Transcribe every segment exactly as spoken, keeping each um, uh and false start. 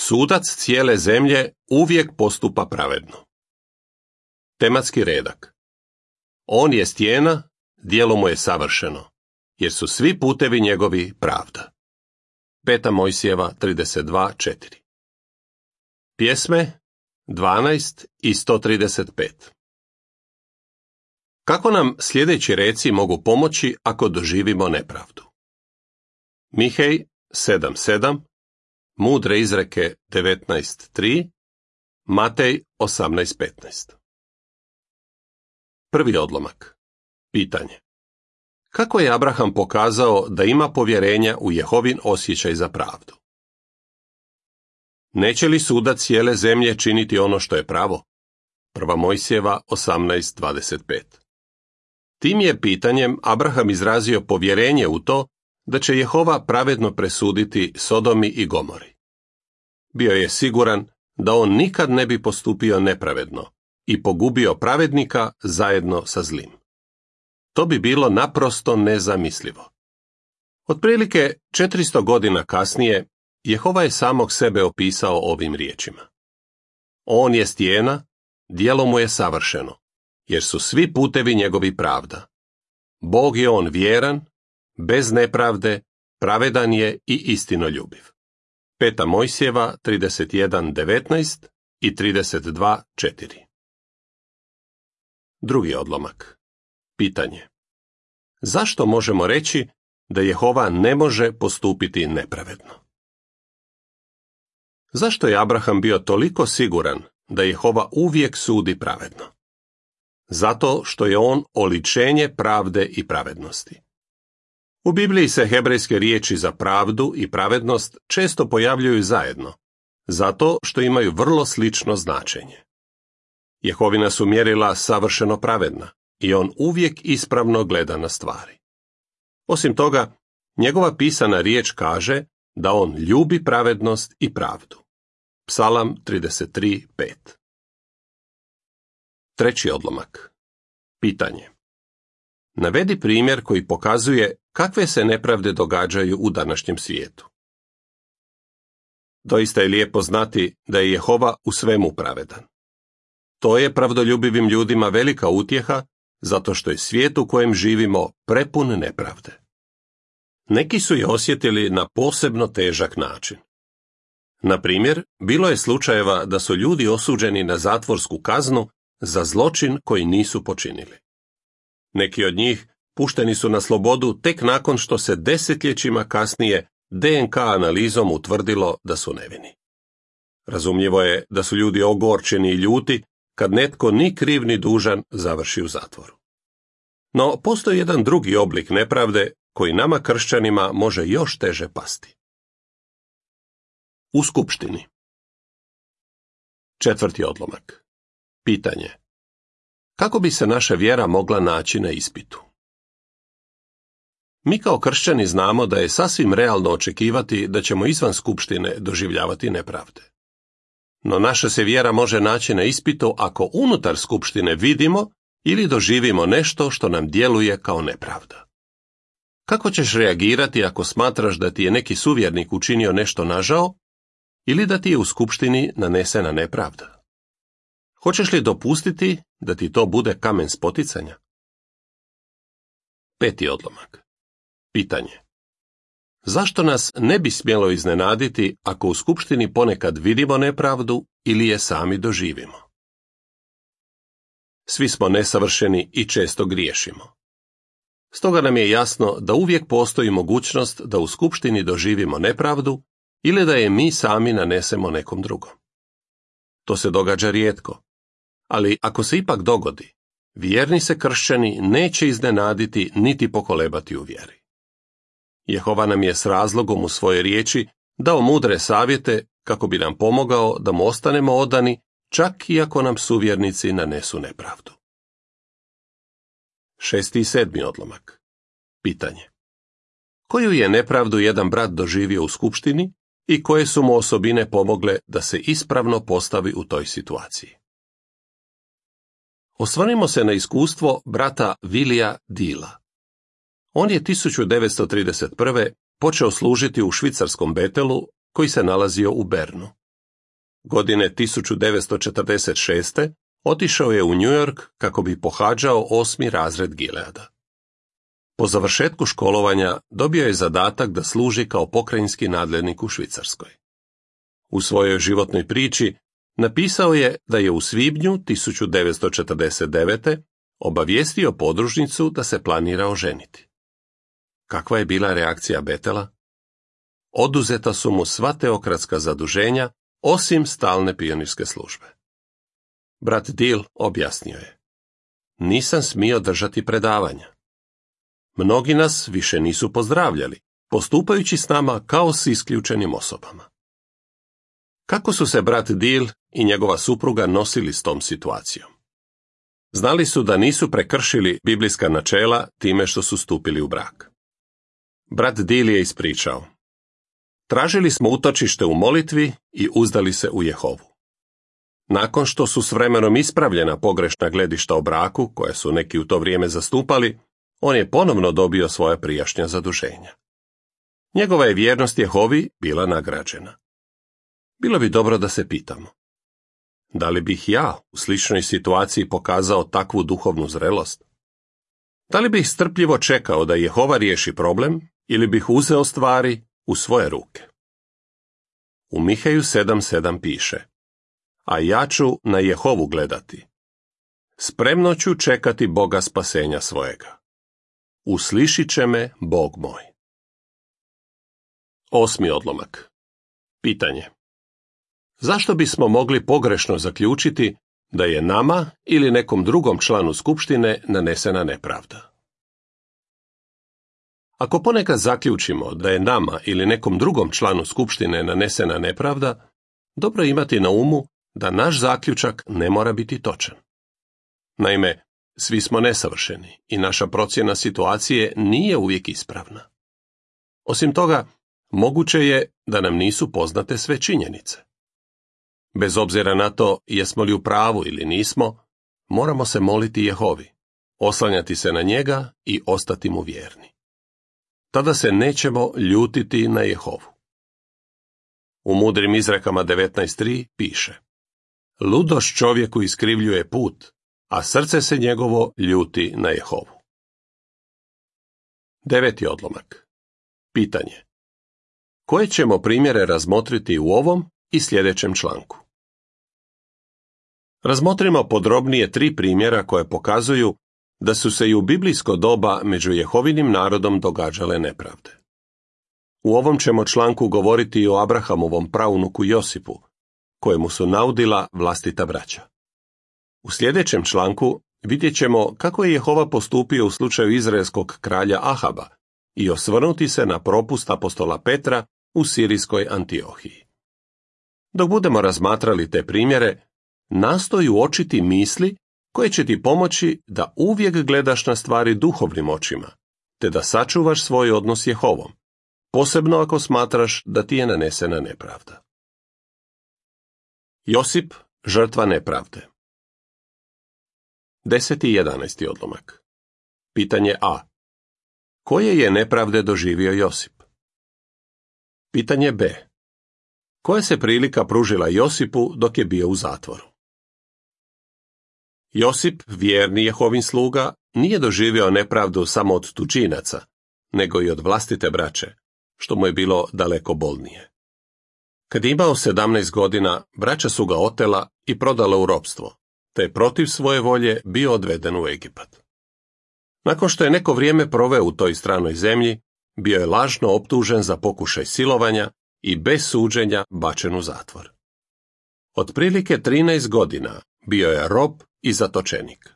Sudac cijele zemlje uvijek postupa pravedno. Tematski redak. On je stijena, djelo mu je savršeno, jer su svi putevi njegovi pravda. Peta Mojsijeva trideset dva četiri. Pjesme dvanaest i sto trideset pet. Kako nam sljedeći reci mogu pomoći ako doživimo nepravdu? Mihej sedam sedam, Mudre izreke devetnaest tri, Matej osamnaest petnaest. Prvi odlomak. Pitanje. Kako je Abraham pokazao da ima povjerenja u Jehovin osjećaj za pravdu? Neće li sudac cijele zemlje činiti ono što je pravo? Prva Mojsijeva osamnaest dvadeset pet. Tim je pitanjem Abraham izrazio povjerenje u to da će Jehova pravedno presuditi Sodomi i Gomori. Bio je siguran da on nikad ne bi postupio nepravedno i pogubio pravednika zajedno sa zlim. To bi bilo naprosto nezamislivo. Otprilike četiristo godina kasnije, Jehova je samog sebe opisao ovim riječima. On je stijena, djelo mu je savršeno, jer su svi putevi njegovi pravda. Bog je on vjeran, bez nepravde, pravedan je i istinoljubiv. Peta Mojsijeva trideset jedan devetnaest i trideset dva četiri. Drugi odlomak. Pitanje. Zašto možemo reći da Jehova ne može postupiti nepravedno? Zašto je Abraham bio toliko siguran da Jehova uvijek sudi pravedno? Zato što je on oličenje pravde i pravednosti. U Bibliji se hebrejske riječi za pravdu i pravednost često pojavljuju zajedno, zato što imaju vrlo slično značenje. Jehovina su mjerila savršeno pravedna i on uvijek ispravno gleda na stvari. Osim toga, njegova pisana riječ kaže da on ljubi pravednost i pravdu. Psalam trideset tri pet. Treći odlomak. Pitanje. Navedi primjer koji pokazuje kakve se nepravde događaju u današnjem svijetu. Doista je lijepo znati da je Jehova u svemu pravedan. To je pravdoljubivim ljudima velika utjeha, zato što je svijet u kojem živimo prepun nepravde. Neki su je osjetili na posebno težak način. Na primjer, bilo je slučajeva da su ljudi osuđeni na zatvorsku kaznu za zločin koji nisu počinili. Neki od njih pušteni su na slobodu tek nakon što se desetljećima kasnije de en ka analizom utvrdilo da su nevini. Razumljivo je da su ljudi ogorčeni i ljuti kad netko ni kriv ni dužan završi u zatvoru. No, postoji jedan drugi oblik nepravde koji nama kršćanima može još teže pasti. U skupštini. Četvrti odlomak. Pitanje. Kako bi se naša vjera mogla naći na ispitu? Mi kao kršćani znamo da je sasvim realno očekivati da ćemo izvan skupštine doživljavati nepravde. No naša se vjera može naći na ispitu ako unutar skupštine vidimo ili doživimo nešto što nam djeluje kao nepravda. Kako ćeš reagirati ako smatraš da ti je neki suvjernik učinio nešto nažao ili da ti je u skupštini nanesena nepravda? Hoćeš li dopustiti da ti to bude kamen spoticanja? Peti odlomak. Pitanje. Zašto nas ne bi smjelo iznenaditi ako u skupštini ponekad vidimo nepravdu ili je sami doživimo? Svi smo nesavršeni i često griješimo. Stoga nam je jasno da uvijek postoji mogućnost da u skupštini doživimo nepravdu ili da je mi sami nanesemo nekom drugom. To se događa rijetko, ali ako se ipak dogodi, vjerni se kršćani neće iznenaditi niti pokolebati u vjeri. Jehova nam je s razlogom u svojoj riječi dao mudre savjete kako bi nam pomogao da mu ostanemo odani, čak i ako nam suvjernici nanesu nepravdu. Šesti i sedmi odlomak. Pitanje. Koju je nepravdu jedan brat doživio u skupštini i koje su mu osobine pomogle da se ispravno postavi u toj situaciji? Osvrnimo se na iskustvo brata Vilija Dila. On je tisuću devetsto trideset prve počeo služiti u švicarskom Betelu koji se nalazio u Bernu. Godine tisuću devetsto četrdeset šeste. otišao je u New York kako bi pohađao osmi razred Gileada. Po završetku školovanja dobio je zadatak da služi kao pokrajinski nadglednik u Švicarskoj. U svojoj životnoj priči napisao je da je u svibnju tisuću devetsto četrdeset devete. obavijestio podružnicu da se planira oženiti. Kakva je bila reakcija Betela? Oduzeta su mu sva teokratska zaduženja, osim stalne pionirske službe. Brat Deal objasnio je: nisam smio držati predavanja. Mnogi nas više nisu pozdravljali, postupajući s nama kao s isključenim osobama. Kako su se brat Deal i njegova supruga nosili s tom situacijom? Znali su da nisu prekršili biblijska načela time što su stupili u brak. Brat Deal je ispričao: tražili smo utočište u molitvi i uzdali se u Jehovu. Nakon što su s vremenom ispravljena pogrešna gledišta o braku, koje su neki u to vrijeme zastupali, on je ponovno dobio svoja prijašnja zaduženja. Njegova je vjernost Jehovi bila nagrađena. Bilo bi dobro da se pitamo: da li bih ja u sličnoj situaciji pokazao takvu duhovnu zrelost? Da li bih strpljivo čekao da Jehova riješi problem ili bih uzeo stvari u svoje ruke? U Mihaju sedam sedam piše: a ja ću na Jehovu gledati. Spremno ću čekati Boga spasenja svojega. Uslišit će me Bog moj. Osmi odlomak. Pitanje: zašto bismo mogli pogrešno zaključiti da je nama ili nekom drugom članu skupštine nanesena nepravda? Ako ponekad zaključimo da je nama ili nekom drugom članu skupštine nanesena nepravda, dobro je imati na umu da naš zaključak ne mora biti točan. Naime, svi smo nesavršeni i naša procjena situacije nije uvijek ispravna. Osim toga, moguće je da nam nisu poznate sve činjenice. Bez obzira na to jesmo li u pravu ili nismo, moramo se moliti Jehovi, oslanjati se na njega i ostati mu vjerni. Tada se nećemo ljutiti na Jehovu. U mudrim izrekama devetnaest tri piše: ludost čovjeku iskrivljuje put, a srce se njegovo ljuti na Jehovu. Deveti odlomak. Pitanje: koje ćemo primjere razmotriti u ovom i sljedećem članku? Razmotrimo podrobnije tri primjera koje pokazuju da su se i u biblijsko doba među Jehovinim narodom događale nepravde. U ovom ćemo članku govoriti i o Abrahamovom praunuku Josipu, kojemu su naudila vlastita braća. U sljedećem članku vidjet ćemo kako je Jehova postupio u slučaju izraelskog kralja Ahaba i osvrnuti se na propust apostola Petra u sirijskoj Antiohiji. Dok budemo razmatrali te primjere, nastoji uočiti misli koje će ti pomoći da uvijek gledaš na stvari duhovnim očima, te da sačuvaš svoj odnos s Jehovom, posebno ako smatraš da ti je nanesena nepravda. Josip, žrtva nepravde. Deseti i jedanaesti odlomak. Pitanje A. Koje je nepravde doživio Josip? Pitanje B. Koja se prilika pružila Josipu dok je bio u zatvoru? Josip, vjerni Jehovin sluga, nije doživio nepravdu samo od tučinaca, nego i od vlastite braće, što mu je bilo daleko bolnije. Kad je imao sedamnaest godina, braća su ga otela i prodala u ropstvo, te je protiv svoje volje bio odveden u Egipat. Nakon što je neko vrijeme proveo u toj stranoj zemlji, bio je lažno optužen za pokušaj silovanja i bez suđenja bačen u zatvor. Otprilike trinaest godina bio je rob i zatočenik.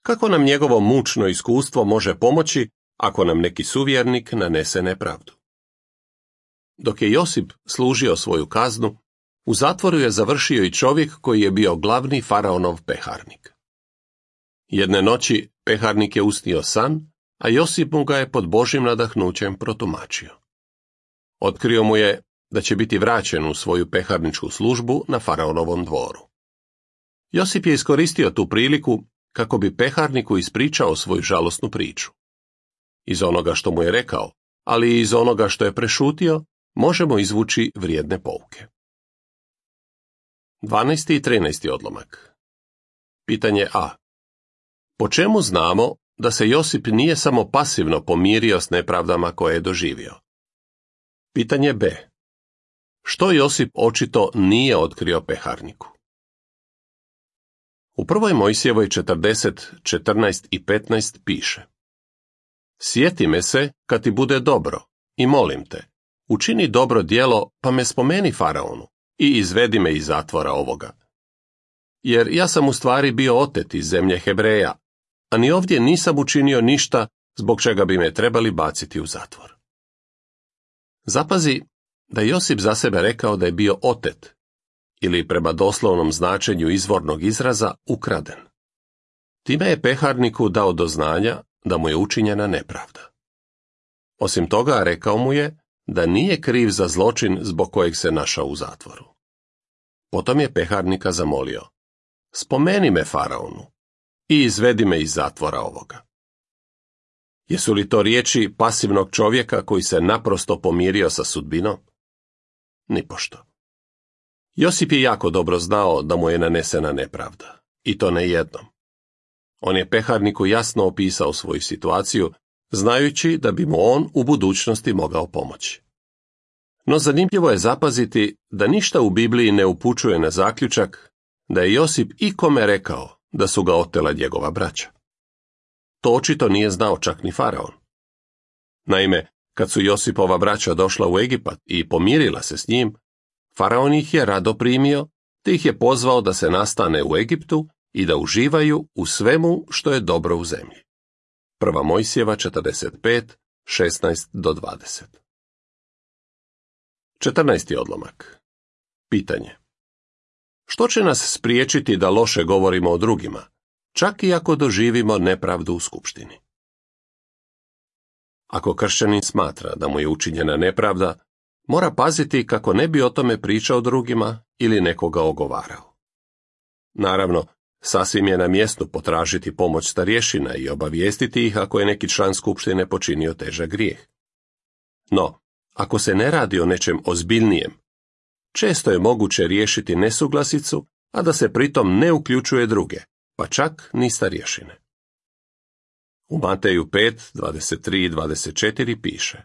Kako nam njegovo mučno iskustvo može pomoći ako nam neki suvjernik nanese nepravdu? Dok je Josip služio svoju kaznu, u zatvoru je završio i čovjek koji je bio glavni faraonov peharnik. Jedne noći peharnik je usnio san, a Josip mu ga je pod Božjim nadahnućem protumačio. Otkrio mu je da će biti vraćen u svoju peharničku službu na faraonovom dvoru. Josip je iskoristio tu priliku kako bi peharniku ispričao svoju žalosnu priču. Iz onoga što mu je rekao, ali i iz onoga što je prešutio, možemo izvući vrijedne pouke. dvanaesti i trinaesti odlomak. Pitanje A. Po čemu znamo da se Josip nije samo pasivno pomirio s nepravdama koje je doživio? Pitanje B. Što Josip očito nije otkrio peharniku? U prvoj Mojsijevoj četrdeset, četrnaest i petnaest piše: Sjeti me se kad ti bude dobro i molim te, učini dobro djelo pa me spomeni faraonu i izvedi me iz zatvora ovoga. Jer ja sam u stvari bio otet iz zemlje Hebreja, a ni ovdje nisam učinio ništa zbog čega bi me trebali baciti u zatvor. Zapazi da je Josip za sebe rekao da je bio otet, ili prema doslovnom značenju izvornog izraza ukraden. Time je peharniku dao do znanja da mu je učinjena nepravda. Osim toga, rekao mu je da nije kriv za zločin zbog kojeg se našao u zatvoru. Potom je peharnika zamolio: Spomeni me faraonu i izvedi me iz zatvora ovoga. Jesu li to riječi pasivnog čovjeka koji se naprosto pomirio sa sudbinom? Nipošto. Josip je jako dobro znao da mu je nanesena nepravda, i to ne jednom. On je peharniku jasno opisao svoju situaciju, znajući da bi mu on u budućnosti mogao pomoći. No zanimljivo je zapaziti da ništa u Bibliji ne upućuje na zaključak da je Josip ikome rekao da su ga otela njegova braća. To očito nije znao čak ni faraon. Naime, kad su Josipova braća došla u Egipat i pomirila se s njim, faraon ih je rado primio, te ih je pozvao da se nastane u Egiptu i da uživaju u svemu što je dobro u zemlji. Prva Mojsijeva četrdeset pet, šesnaest do dvadeset. četrnaesti odlomak. Pitanje. Što će nas spriječiti da loše govorimo o drugima, čak i ako doživimo nepravdu u skupštini? Ako kršćanin smatra da mu je učinjena nepravda, mora paziti kako ne bi o tome pričao drugima ili nekoga ogovarao. Naravno, sasvim je na mjestu potražiti pomoć starješina i obavijestiti ih ako je neki član skupštine počinio težak grijeh. No, ako se ne radi o nečem ozbiljnijem, često je moguće riješiti nesuglasicu, a da se pritom ne uključuje druge, pa čak ni starješine. U Mateju pet, dvadeset tri i dvadeset četiri piše: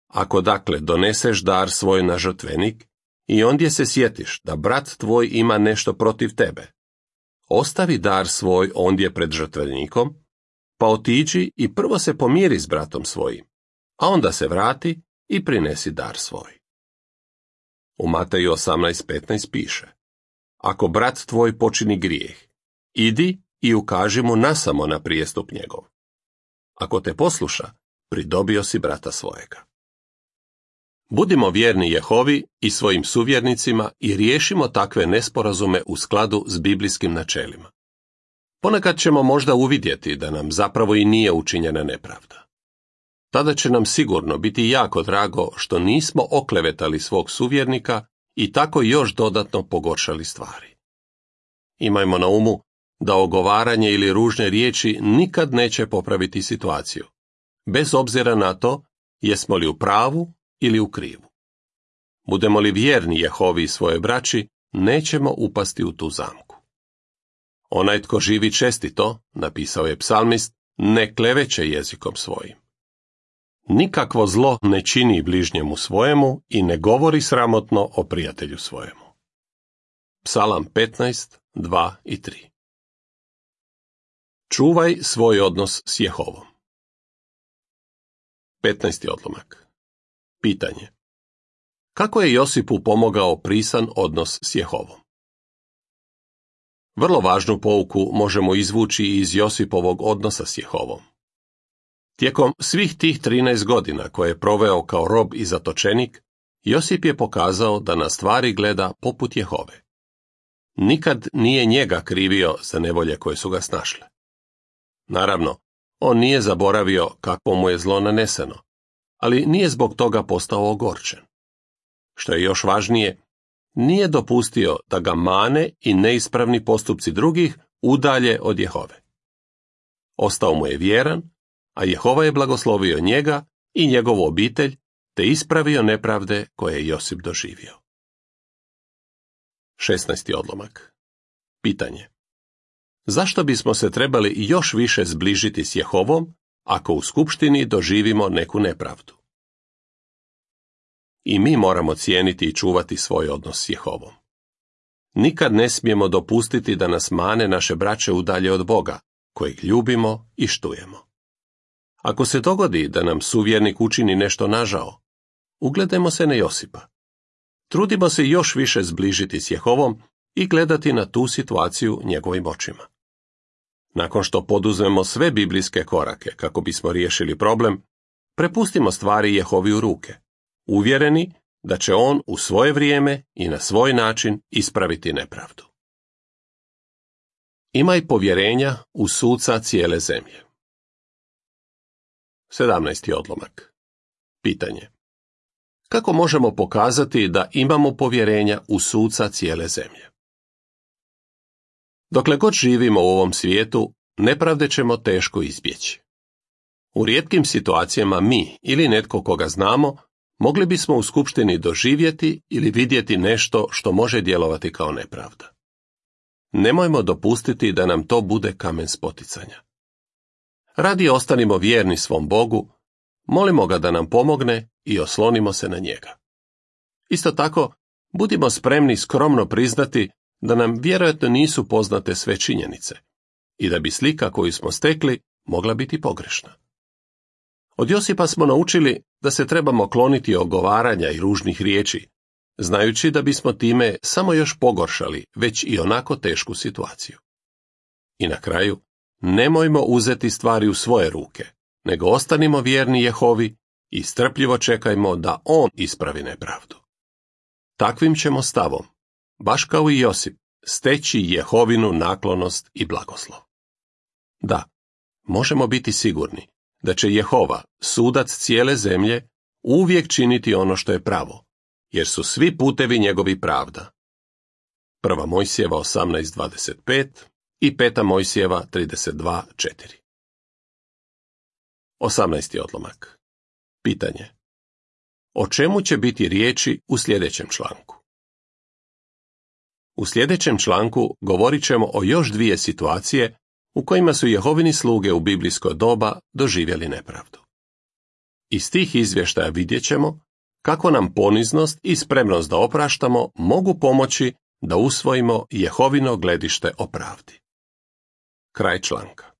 Ako dakle doneseš dar svoj na žrtvenik i ondje se sjetiš da brat tvoj ima nešto protiv tebe, ostavi dar svoj ondje pred žrtvenikom, pa otiđi i prvo se pomiri s bratom svojim, a onda se vrati i prinesi dar svoj. U Mateju osamnaest petnaest piše: Ako brat tvoj počini grijeh, idi i ukaži mu nasamo na prijestup njegov. Ako te posluša, pridobio si brata svojega. Budimo vjerni Jehovi i svojim suvjernicima i riješimo takve nesporazume u skladu s biblijskim načelima. Ponekad ćemo možda uvidjeti da nam zapravo i nije učinjena nepravda. Tada će nam sigurno biti jako drago što nismo oklevetali svog suvjernika i tako još dodatno pogoršali stvari. Imajmo na umu da ogovaranje ili ružne riječi nikad neće popraviti situaciju, bez obzira na to jesmo li u pravu ili u krivu. Budemo li vjerni Jehovi i svoje braći, nećemo upasti u tu zamku. Onaj tko živi čestito, napisao je psalmist, ne kleveće jezikom svojim. Nikakvo zlo ne čini bližnjemu svojemu i ne govori sramotno o prijatelju svojemu. Psalam petnaest, dva i tri. Čuvaj svoj odnos s Jehovom. petnaesti odlomak. Pitanje. Kako je Josipu pomogao prisan odnos s Jehovom? Vrlo važnu pouku možemo izvući iz Josipovog odnosa s Jehovom. Tijekom svih tih trinaest godina koje je proveo kao rob i zatočenik, Josip je pokazao da na stvari gleda poput Jehove. Nikad nije njega krivio za nevolje koje su ga snašle. Naravno, on nije zaboravio kakvo mu je zlo naneseno, ali nije zbog toga postao ogorčen. Što je još važnije, nije dopustio da ga mane i neispravni postupci drugih udalje od Jehove. Ostao mu je vjeran, a Jehova je blagoslovio njega i njegovu obitelj, te ispravio nepravde koje je Josip doživio. šesnaesti odlomak. Pitanje. Zašto bismo se trebali još više zbližiti s Jehovom, ako u skupštini doživimo neku nepravdu? I mi moramo cijeniti i čuvati svoj odnos s Jehovom. Nikad ne smijemo dopustiti da nas mane naše braće udalje od Boga, kojeg ljubimo i štujemo. Ako se dogodi da nam suvjernik učini nešto nažao, ugledajmo se na Josipa. Trudimo se još više zbližiti s Jehovom i gledati na tu situaciju njegovim očima. Nakon što poduzmemo sve biblijske korake kako bismo riješili problem, prepustimo stvari Jehovi u ruke, uvjereni da će on u svoje vrijeme i na svoj način ispraviti nepravdu. Imaj povjerenja u suca cijele zemlje. sedamnaesti odlomak. Pitanje. Kako možemo pokazati da imamo povjerenja u suca cijele zemlje? Dokle god živimo u ovom svijetu, nepravde ćemo teško izbjeći. U rijetkim situacijama mi ili netko koga znamo mogli bismo u skupštini doživjeti ili vidjeti nešto što može djelovati kao nepravda. Nemojmo dopustiti da nam to bude kamen spoticanja. Radi ostanimo vjerni svom Bogu, molimo ga da nam pomogne i oslonimo se na njega. Isto tako, budimo spremni skromno priznati da nam vjerojatno nisu poznate sve činjenice i da bi slika koju smo stekli mogla biti pogrešna. Od Josipa smo naučili da se trebamo kloniti ogovaranja i ružnih riječi, znajući da bismo time samo još pogoršali već i onako tešku situaciju. I na kraju, nemojmo uzeti stvari u svoje ruke, nego ostanimo vjerni Jehovi i strpljivo čekajmo da on ispravi nepravdu. Takvim ćemo stavom, baš kao i Josip, steći Jehovinu naklonost i blagoslov. Da, možemo biti sigurni da će Jehova, sudac cijele zemlje, uvijek činiti ono što je pravo, jer su svi putevi njegovi pravda. Prva Mojsijeva osamnaest dvadeset pet i peta Mojsijeva trideset dva četiri. osamnaesti odlomak. Pitanje. O čemu će biti riječi u sljedećem članku? U sljedećem članku govorit ćemo o još dvije situacije u kojima su Jehovini sluge u biblijsko doba doživjeli nepravdu. Iz tih izvještaja vidjet ćemo kako nam poniznost i spremnost da opraštamo mogu pomoći da usvojimo Jehovino gledište o pravdi. Kraj članka.